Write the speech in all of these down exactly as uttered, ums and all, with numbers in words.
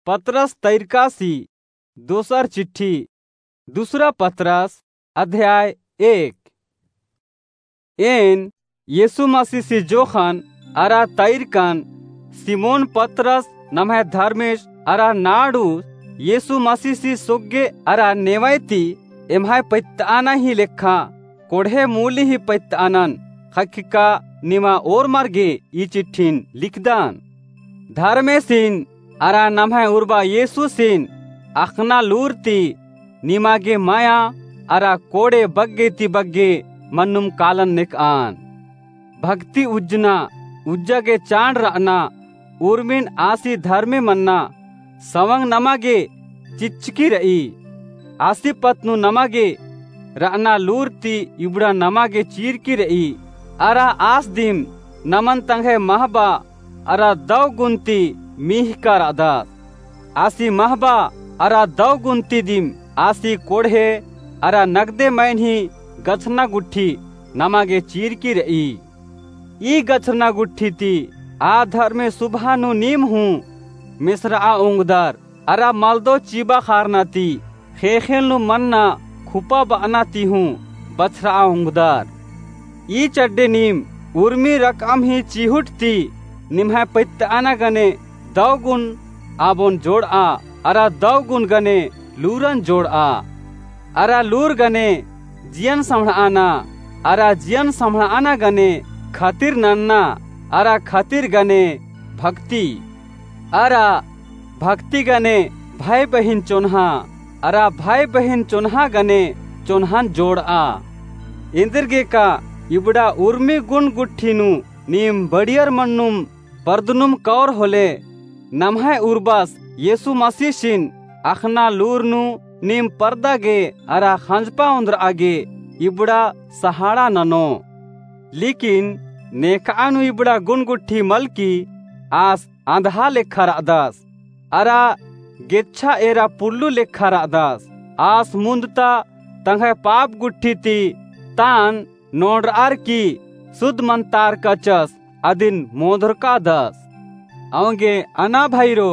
पतरस तैरकासी दोसर चिट्ठी, दूसरा पतरस, अध्याय एक। एन यीशु मसीसी जोखन अरा तैरकन, सिमोन पतरस नम्है धर्मेस अरा नाड़ूस यीशु मसीसी सोग्गे अरा नेवय ती एम्है पैत्तअना ही लेखा कोड़हे मूली ही पैत्तअनन ख़क्खका निमा ओर्मर गे ई चिट्ठिन लिखदन। धर्मेसिन अरा नम्है उर्बा यीशुसिन अख़ना लूर ती निमा गे मया अरा कोड़े बग्गे ती बग्गे मन्नुम कालन नेकअन। भक्ति उज्जना, उज्जा गे चाड़ रअना, उर्मिन आसी धर्मे मन्ना, सवंग नमा गे चिच्चकी रई। आसी पत्त नू नमा गे रअना लूर ती इबड़ा नमा गे चीरकी रई। अरा आस दिम नमन तंग्है महबा अरा दव गुन ती मीहका रअदस। आसी महबा अरा दव गुन ती दिम आसी कोड़हे अरा नगदे मइनही गछरना गुट्ठी नमा गे चीरकी रई। ई गछरना गुट्ठी ती आ धर्मे सुबहा नू नीम हूँ मेसरआ ओंगदर अरा मलदो चिबा खारना ती ख़ेख़ेल नू मन्ना खुपा बअना ती हूँ बछरआ ओंगदर। ई चड्डे नीम उर्मी रकअम ही चिहुट ती निम्है पैत्तअना गने दव गुन आबोन जोड़आ, अरा दव गुन गने लूरन जोड़आ। अरा लूर गने जियन सम्हड़अना, अरा जियन सम्हड़अना गने खतिर नन्ना, अरा खतिर गने भक्ति, अरा भक्ति गने भाई बहिन चोन्हा, अरा भाई बहिन चोन्हा गने चोन्हन जोड़आ। एन्देरगेका इबड़ा उर्मी गुन गुट्ठी नू नीम बड़ियर मन्नुम परदनुम कौर होले, नम्है उर्बस यीशु मसीसिन अख़ना लूर नू नीम परदा गे अरा ख़ंजपा ओन्द्रआ गे इबड़ा सहाड़ा ननो। लेकिन नेखआ नू इबड़ा गुन गुट्ठी मलकी आस अंधहा लेखा रअदस, अरा गेच्छा एरा पुल्लू लेखा रअदस। आस मुन्द ता तंग्है पाप गुट्ठी ती तान नोड़रअर की सुध मन्तार कचस अदिन मोधरकादस। औंगे अना भइरो,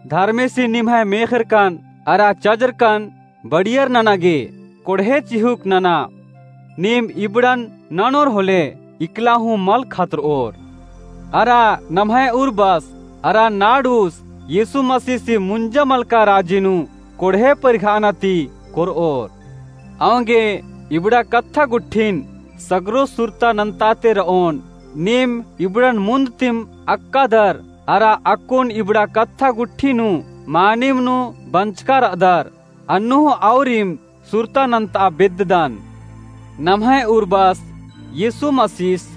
धर्मेसी निम्है मेख़रकन अरा चजरकन बड़ियर नना गे कोड़हे चिहुक नना। नीम इबड़न ननोर होले इकला हूँ मल खतरओर। अरा नम्है उर्बस अरा नाड़ूस यीशु मसीसी मुंजा मलका राजी नू कोड़हे परिखाना ती कोरओर। औंगे इबड़ा कत्था गुट्ठिन सगरो सुरता नन्ताते रओन। नीम इबड़न मुन्द तिम अक्कादर अरा अक्कुन इबड़ा कत्था गुट्ठी नू मानिम नू बंचका रअदर। अन्नु हूँ औरिम सुरता नन्ता बेद्ददन। नम्है उर्बस यीशु मसीस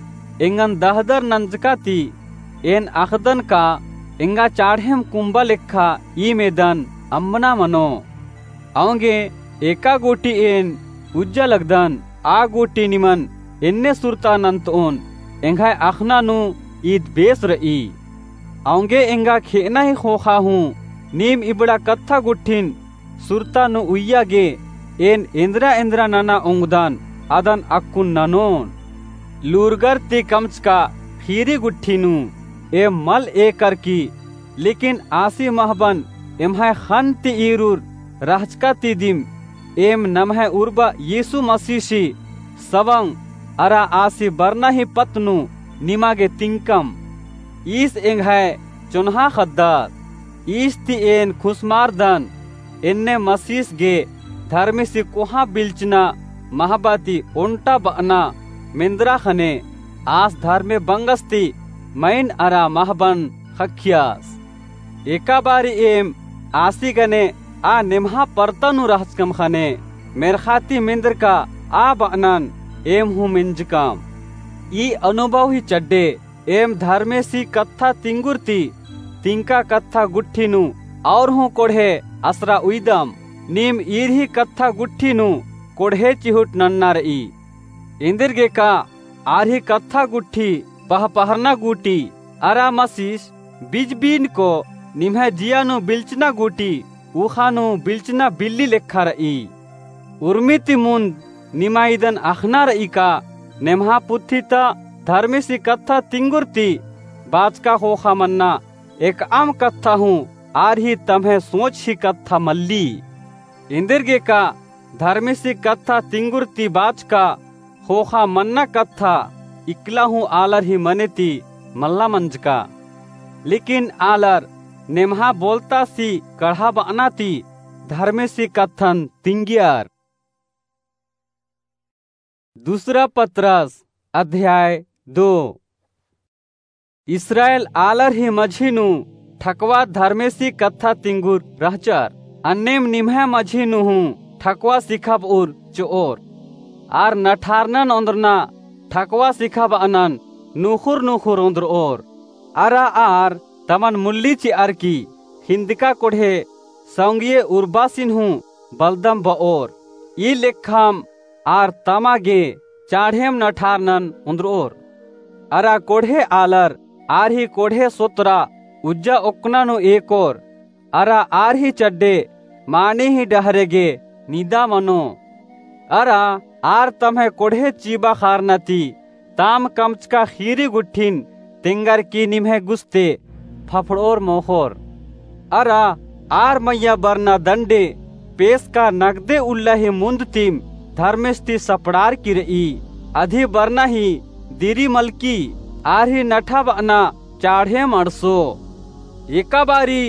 एंगन दहदर नंजका ती एन अख़दन का एंगा चाढ़ेम कुम्बा लेखा ईमेदन अम्बना मनो। औंगे एका गूटी एन उज्जा लगदन, आ गूटी निमन एन्ने सुरता नन्तओन, एंग्है अख़ना नू ईद बेस रई। औंगे एंगा खेअना ही ख़ोख़ा हूँ नीम इबड़ा कत्था गुट्ठिन सुरता नू उइया गे एन एन्द्रा एन्द्रा नना ओंगदन अदन अक्कुन ननोन। लूरगर ती कमचका ख़ीरी गुट्ठी नू एम मल एकर की, लेकिन आसी महबन एम्है ख़न्न ती ईरुर रहचका ती दिम एम नम्है उर्बा यीशु मसीसी सवंग अरा आसी बरना ही पत्त नू निमा गे तिंकम। ईस एंग्है चोन्हा ख़द्दस। ईस ती एन खुसमारदन, एन्ने मसीस गे धर्मेसी कोहाँ बिल्चना महबा ती ओन्टा बअना मेन्द्रा ख़ने आस धर्मे बंगस ती मइन अरा महबन ख़क्खियस। एका बारी एम आसी गने आ नेम्हा परता नू रहचकम ख़ने मेर्ख़ा ती मेन्द्रका आ बअनन एम हूँ मेंजकम। ई अनुभव ही चड्डे एम धर्मेसी कत्था तिंगुर ती तिंका कत्था गुट्ठी नू और हूँ कोड़हे असरा उइदम। नीम ईर ही कत्था गुट्ठी नू कोड़हे चिहुट नन्ना रई। एन्देरगेका आर ही कत्था गुट्ठी पहपहरना गूटी अरा मसीस बिजबीनको निम्है जिया नू बिल्चना गूटी उख़ा नू बिल्चना बिल्ली लेखा रई। उर्मी ती मुन्द निमा इदन अख़ना रई का नेम्हा पुथी ता धर्मेसी कत्था तिंगुर ती बाचका ख़ोख़ा मन्ना एकअम कत्था हूँ आर ही तम्है सोच ही कत्था मल्ली। एन्देरगेका धर्मेसी कत्था तिंगुर ती बाचका ख़ोख़ा मन्ना कत्था इकला हूँ आलर ही मने ती मल्ला मंजका। लेकिन आलर नेम्हा बोलतासी कड़हा बअना ती धर्मेसी कत्थन तिंगियर। दूसरा पतरस अध्याय दो। इस्राएल आलर ही मझी नू ठकवा धर्मेसी कत्था तिंगुर रहचर। अन्नेम निम्है मझी नू हूँ ठकवा सिखाबउर चिओर। आर नठारनन ओन्द्रना ठकवा सिखाबअनन नुख़ुर नुख़ुर ओन्द्रओर। अरा आर तमन मुल्ली चिअर की हिन्दका कोड़हे सौंगिये उर्बासिन हूँ बलदम बओर। ई लेखम आर तमा गे चाढ़ेम नठारनन ओन्द्रओर। अरा कोड़हे आलर आर ही कोड़हे सोतरा उज्जा ओक्कना नू एकोर। अरा आर ही चड्डे माने ही डहरे गे निदा मनो। अरा आर तम्है कोड़हे चीबा ख़ारना ती ताम कमचका ख़ीरी गुट्ठिन तेंगर की निम्है गुस्ते फफड़ओर मोख़ोर। अरा आर मइय्याँ बरना दंडे पेसका नगदे उल्ला ही मुन्द तिम धर्मेस ती सपड़ार की रई। अदी बरना ही दिरी मलकी आर ही नठाबअना चाढ़ेम अंड़सो। एका बारी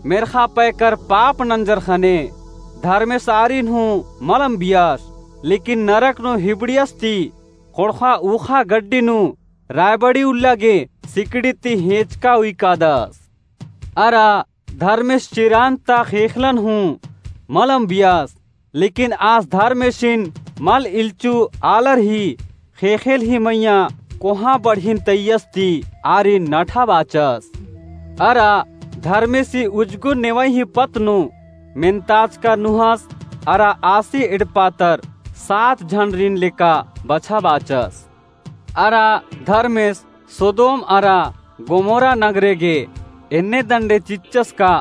मेर्ख़ा पैकर पाप नंजर ख़ने धर्मेस आरिन हूँ मल अम्बियस, लेकिन नरक नू हिबड़ियस ती ख़ोंड़ख़ा ऊख़ा गड्डी नू रायबड़ी उल्ला गे सिकड़ी ती हेंचका उइकादस। अरा धर्मेस चिरान ता ख़ेख़ेलन हूँ मल अम्बियस, लेकिन आस धर्मेसिन मल इल्चु आलर ही ख़ेख़ेल ही मइय्याँ कोहाँ बढ़िन तैयस ती आरिन नठाबाचस। अरा धर्मेसी उज्जगो नेवई ही पत्त नू मेन्ताचका नूहस अरा आसी एड़पा तर सात झंडरिन लेका बछाबाचस। अरा धर्मेस सोदोम अरा गोमोरा नगरे गे एन्ने दंडे चिच्चस का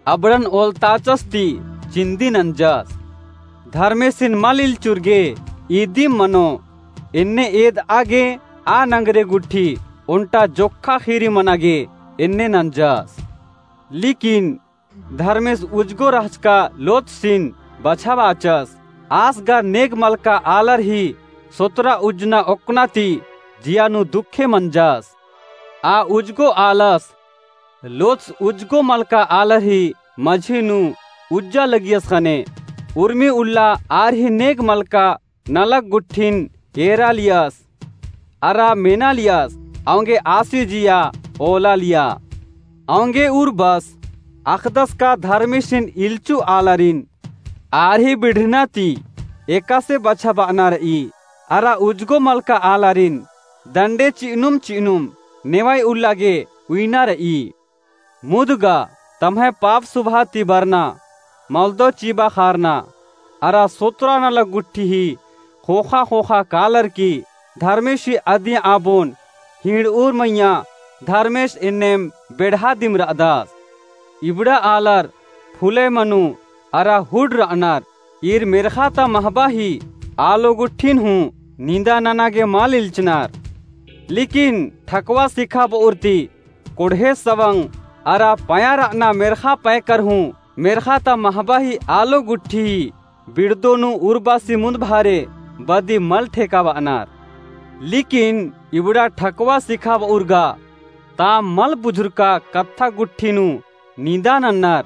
अबड़न ओलताचस ती चिन्दी नंजस। धर्मेसिन मल इल्चुर गे इदिम मनो, एन्ने एदआ गे आ नगरे गुट्ठी ओन्टा जोक्खा ख़ीरी मना गे एन्ने नंजस। लेकिन धर्मेस उज्जगो रहचका लोतसिन बछाबाचस। आस गा नेग मलका आलर ही सोतरा उज्जना ओक्कना ती जिया नू दुखे मंजस। आ उज्जगो आलस लोतस उज्जगो मलका आलर ही मझी नू उज्जा लगियस ख़ने उर्मी उल्ला आर ही नेग मलका नलख गुट्ठिन एरालियस, अरा मेनालियस, औंगे आसी जिया ओलालिया। औंगे उर्बस अख़दस का धर्मेसिन इल्चु आलारिन आर ही बिड़रना ती एकासे बछाबअना रई, अरा उज्जगो मलका आलारिन दंडे चिअनुम चिअनुम नेवई उल्ला गे उइना रई। मुद गा तम्है पाप सुभा ती बरना, मलदो चिबा ख़ारना, अरा सोतरा नलख गुट्ठी ही ख़ोख़ा ख़ोख़ा कालर की धर्मेसी अदियाँ आबोन हिंड़उर मइय्याँ धर्मेस एन्नेम बेड़हा दिम रअदस। इबड़ा आलर फुले मनु अरा हुड रअनर, ईर मेर्ख़ा ता महबा ही आलो गुट्ठिन हूँ निंदा नना गे मल इल्चनर। लेकिन ठकवा सिखाबउर ती कोड़हे सवंग अरा पया रअना मेर्ख़ा पैकर हूँ मेर्ख़ा ता महबा ही आलो गुट्ठी ही बिड़दो नू उर्बासी मुन्द भारे बदी मल ठेकाबअनर। लेकिन इबड़ा ठकवा सिखाबउर गा ताम मल बुझुरका कत्था गुट्ठी नू निंदा नन्नर।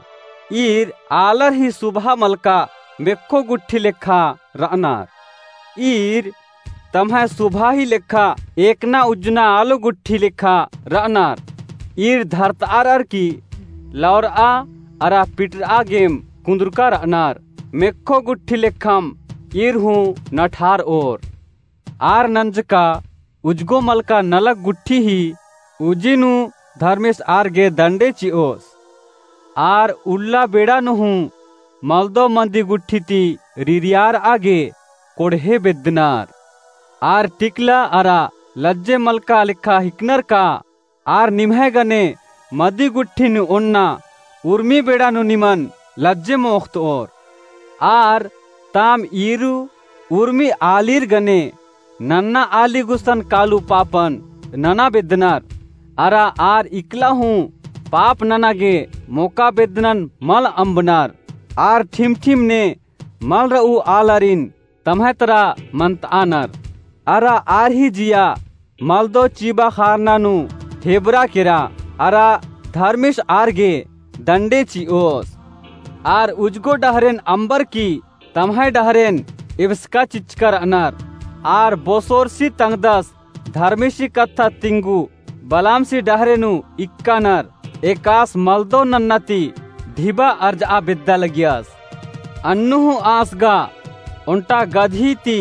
ईर आलर ही सुभा मलका मेक्खो गुट्ठी लेखा रअनर। ईर तम्है सुभा ही लेखा एकना उज्जना आलो गुट्ठी लेखा रअनर। ईर धरतआर अरकी लौरआ अरा पिटरआ गेम कुन्दुरका रअनर। मेक्खो गुट्ठी लेखम ईर हूँ नठारओर। आर नंजका उज्जगो मलका नलख गुट्ठी ही उजी नू धर्मेस आर गे दंडे चिओस। आर उल्ला बेड़ा नू हूँ मलदो मदी गुट्ठी ती रिरियारआ गे कोड़हे बेद्दनर। आर टिकला अरा लज्जे मलका लेखा हिकनर का आर निम्है गने मदी गुट्ठी नू ओन्ना उर्मी बेड़ा नू निमन लज्जे मोख़तओर। आर ताम ईरू उर्मी आलीर गने नन्ना आली गुसन कालू पापन नना बेद्दनर। अरा आर इकला हूँ पाप नना गे मोका बेद्दनन मल अम्बनर। आर ठिम-ठिम ने मल र'ऊ आलरिन तम्है तरा मन्त'अनर। अरा आर ही जिया मलदौ चिबा खारना नू ढेबरा केरा, अरा धर्मेस आर गे दंडे चि'ओस। आर उजगो डहरेन अम्बर की तम्है डहरेन एबसका चिच्चका र'अनर। आर बोसोरसी तंग्दस धर्मेसी कत्था तिंगु बलामसी डहरे नू इक्कनर, एकास मलदौ नन्ना ती ढिबा अर्ज'आ बेद्दा लगियस। अन्नु हूँ आस गा ओन्टा गदही ती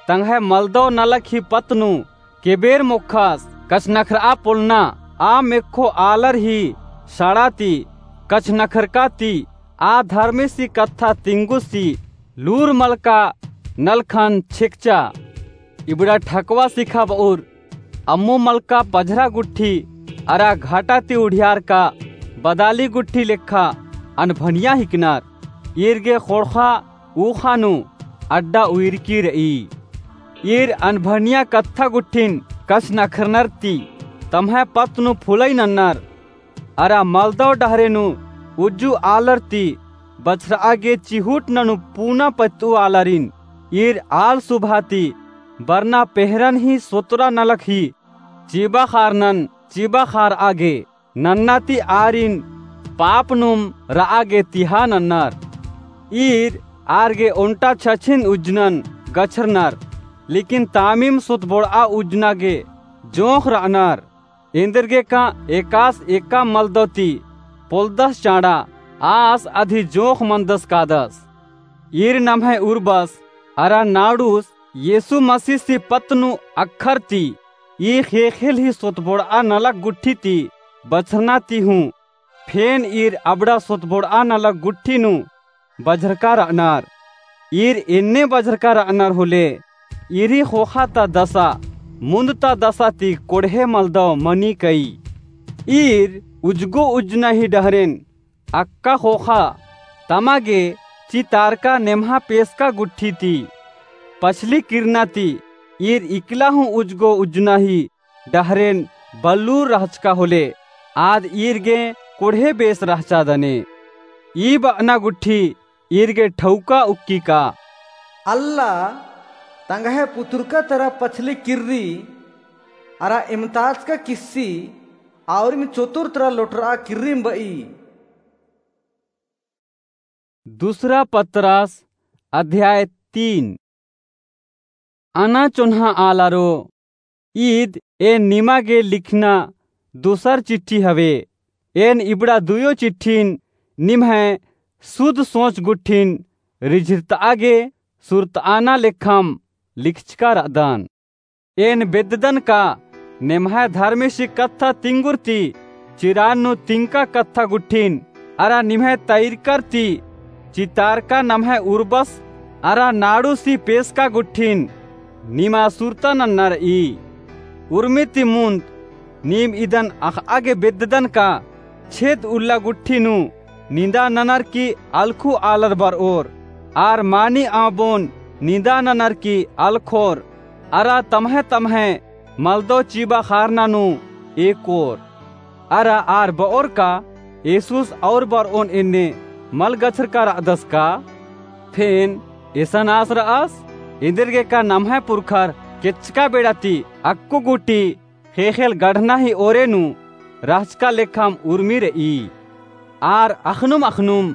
तंग्है मलदौ नलख ही पत्त नू केबेर मोख़स। कछनखर'आ पोलना आ मेख़ो आलर ही सड़ा ती कछनखरका ती आ धर्मेसी कत्था तिंगुसी लूर मलका नलखन छेकचा। इबड़ा ठकवा सिखा ब'उर अम्मु मलका पझरा गुट्ठी अरा घाटा ती उड़ियारका बदाली गुट्ठी लेखा अनभनिया हिकनर। ईर गे ख़ोंड़ख़ा ऊख़ा नू अड्डा उइरकी र'ई। ईर अनभनिया कत्था गुट्ठिन कछनखरनर ती तम्है पत्त नू फुलई नन्नर। अरा मलदौ डहरे नू उज्जु आलर ती बछर'आ गे चिहुट ननू पूना पत्त'ऊ आलारिन ईर आल सुभा ती बरना पेहरन ही सोतरा नलख ही चिबा खारनन चिबा खार'आ गे नन्ना ती आरिन पाप नुम र'आ गे तिहा नन्नर। ईर आर गे ओन्टा छछिन उज्जनन गछरनर, लेकिन तामिम सोतबोड़'आ उज्जना गे जोंख़ र'अनर। एन्देरगेका एकास एका मलदौ ती पोलदस चाँड़ा आस अदी जोंख़ मनदस कादस। ईर नम्है उर्बस अरा नाड़ुस येसु मसीसी पत्त नू अख़र ती ई ख़ेख़ेल ही सोतबोड़'आ नलख गुट्ठी ती बछरना ती हूँ, फेन ईर अबड़ा सोतबोड़'आ नलख गुट्ठी नू बझरका र'अनर। ईर एन्ने बझरका र'अनर होले ईर ही ख़ोख़ा ता दसा मुन्द ता दसा ती कोड़हे मलदौ मनी कई। ईर उज्जगो उज्जना ही डहरेन अक्का ख़ोख़ा तमा गे चितारका नेम्हा पेसका गुट्ठी ती पछली किरना ती ईर इकला हूँ उज्जगो उज्जना ही डहरेन बल्लूर रहचका होले आद ईर गे कोड़हे बेस रहचा दने। ई ब'अना गुट्ठी ईर गे ठौका उक्की का? अल्ला तंग्है पुतुरका तरा पछली किर्री अरा इमताचका किस्सी आउरिम चोतुर तरा लोटर'आ किर्रिम ब'ई। दूसरा पतरस अध्याय तीन। अना चोन्हा आलारो, ईद एन निमा गे लिखना दूसर चिट्ठी हवे। एन इबड़ा दुयो चिट्ठिन निम्है सुध सोच गुट्ठिन रिझिरत'आ गे सुरत'आना लेखम लिखचका र'अदन। एन बेद्ददन का नेम्है धर्मेसी कत्था तिंगुर ती चिरान नू तिंका कत्था गुट्ठिन अरा निम्है तैरकर ती चितारका नम्है उर्बस अरा नाड़ुसी पेसका गुट्ठिन निमा सुरता नन्ना र'ई। उर्मी ती मुन्द नीम इदन अख़'आ गे बेद्ददन का छेद उल्ला गुट्ठी नू निंदा ननर की अलखु आलर बर'ओर, आर मानी आबोन निंदा ननर की अलखोर, अरा तम्है तम्है मलदौ चिबा खारना नू एकोर। अरा आर ब'ओर का, येसुस और बर'ओन एन्ने मल गछरका र'अदस का? फेन एसन आस र'अस? एन्देरगेका नम्है पुरखर केच्चका बेड़ा ती अक्कु गूटी ख़ेख़ेल गढ़ना ही ओरे नू रहचका लेखम उर्मी र'ई। आर अख़नुम अख़नुम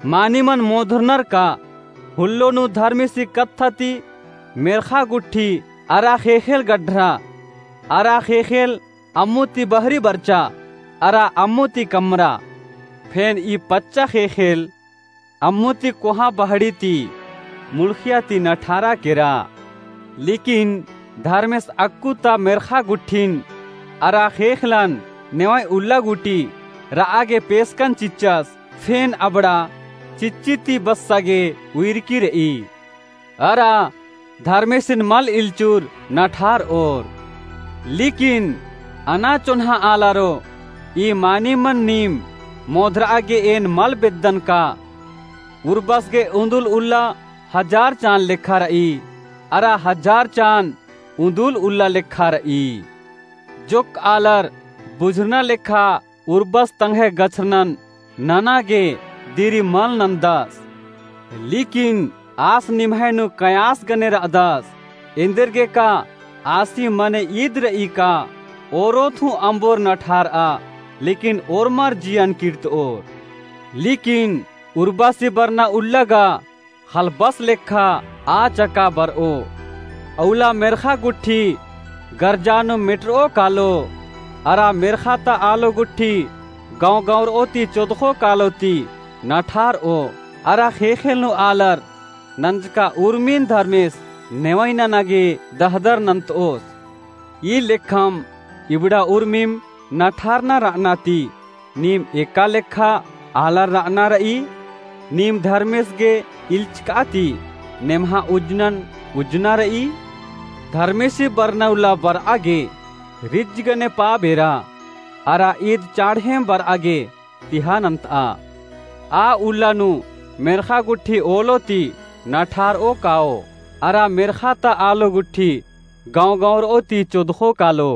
मानिमन मोधरनर का हुल्लो नू धर्मेसी कत्था ती मेर्ख़ा गुट्ठी अरा ख़ेख़ेल गढ़रा अरा ख़ेख़ेल अम्मु ती बहरी बरचा अरा अम्मु ती कमरा। फेन ई पच्चा ख़ेख़ेल अम्मु ती कोहाँ बहड़ी ती मुलखिया ती नठारा केरा। लेकिन धर्मेस अक्कु ता मेर्ख़ा गुट्ठिन अरा ख़ेख़लन नेवंय उल्ला गूटी र'आ गे पेसकन चिच्चस, फेन अबड़ा चिच्ची ती बस्सा गे उइरकी र'ई। अरा धर्मेसिन मल इल्चुर नठार'ओर। लेकिन अना चोन्हा आलारो, ई मानिमन नीम मोधर'आ गे एन मल बेद्दन का? उर्बस गे उन्दुल उल्ला हजार चान लेखा र'ई, अरा हजार चान उन्दुल उल्ला लेखा र'ई। जोक्क आलर बुझुरना लेखा उर्बस तंग्है गछरनन नना गे दिरी मल नन्दस। लेकिन आस निम्है नू कयास गने रअदस, एन्देरगे का आसी मने ईद रई का, ओरोथू अम्बोर नठारआ, लेकिन ओर्मर जियन किर्तओर। लेकिन उर्बासी बरना उल्ला गा हलबस लेखा आ चका बरओ। अउला मेर्खा गुट्ठी गरजा नू मेटरओ कालो, अरा मेर्खा ता आलो गुट्ठी गौं गौंरओ ती चोदखो कालो ती नठारओ, अरा ख़ेख़ेल नू आलर नंजका उर्मिन धर्मेस नेवई नना गे दहदर नन्तओस। ई लेखम इबड़ा उर्मिम नठारना रअना ती नीम एका लेखा आलर रअना रई। नीम धर्मेस गे इल्चका ती नेम्हा उज्जनन उज्जना रई। धर्मेसी बरना उल्ला बरआ गे रिज्ज गने पाप एरा, अरा ईद चाड़हेम बरआ गे तिहा नन्तआ। आ उल्ला नू मेर्खा गुट्ठी ओलो ती नठारओ काओ, अरा मेर्खा ता आलो गुट्ठी गौं गौंरओ ती चोदखो कालो।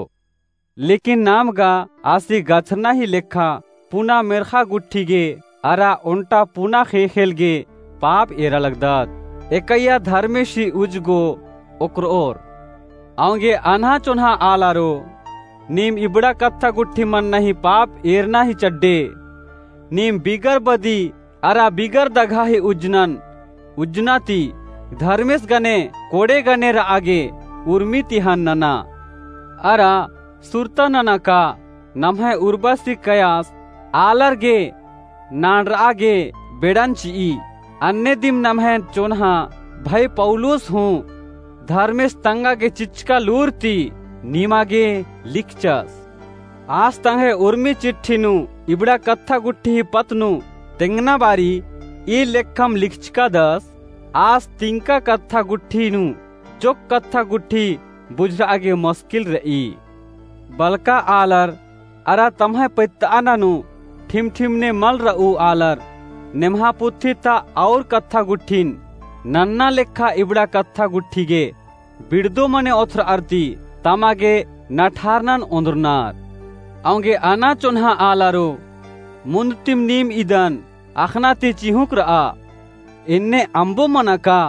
लेकिन नाम गा आसी गछरना ही लेखा पुना मेर्खा गुट्ठी गे अरा ओन्टा पुना ख़ेख़ेल गे पाप एरा लगदत। एकैया धर्मेसी उज्ज गो ओक्करओर। औंगे अनहा चोन्हा आलारो, नीम इबड़ा कत्था गुट्ठी मन्ना ही पाप एरना ही चड्डे। नीम बिगर बदी अरा बिगर दघा ही उज्जनन उज्जना ती धर्मेस गने कोड़े गने रआ गे उर्मी तिहान नना। अरा सुरता नना का नम्है उर्बासी कयास आलर गे नांड़रआ गे बेड़न चिई। अन्ने दिम नम्है चोन्हा भई पौलुस हूँ धर्मेस तंगा गे चिचका लूर ती निमा गे लिखचस। आस तंग्है उर्मी चिट्ठी नू इबड़ा कत्था गुट्ठी ही पत्त नू तेंगना बारी ई लेखम लिखचकादस। आस तिंका कत्था गुट्ठी नू चोक कत्था गुट्ठी बुझरआ गे मस्किल रई। बलका आलर अरा तम्है पैत्तअना नू ठिमठिमने मल रऊ आलर नेम्हा पुथी ता और कत्था गुट्ठिन नन्ना लेखा इबड़ा कत्था गुट्ठी गे बिड़दो मने ओथरअर ती तमा गे नठारनन ओन्द्रनर। औंगे अना चोन्हा आलारो, मुन्द तिम नीम इदन अख़ना ती चिहुँक रआ। एन्ने अम्बो मना का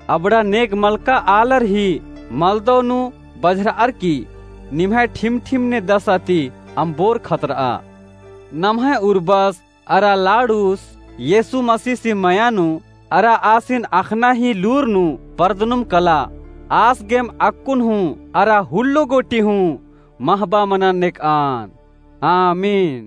अबड़ा नेग मलका आलर ही मलदौ नू बझरअर की निम्है ठिमठिमने दसा ती अम्बोर खतरआ। नम्है उर्बस अरा लाड़ूस येसु मसीसी मया नू अरा आसिन अख़ना ही लूर नू परदनुम कला। आस गेम अक्कुन हूँ अरा हुल्लो गोटी हूँ महबा मनन नेकआन। आमीन।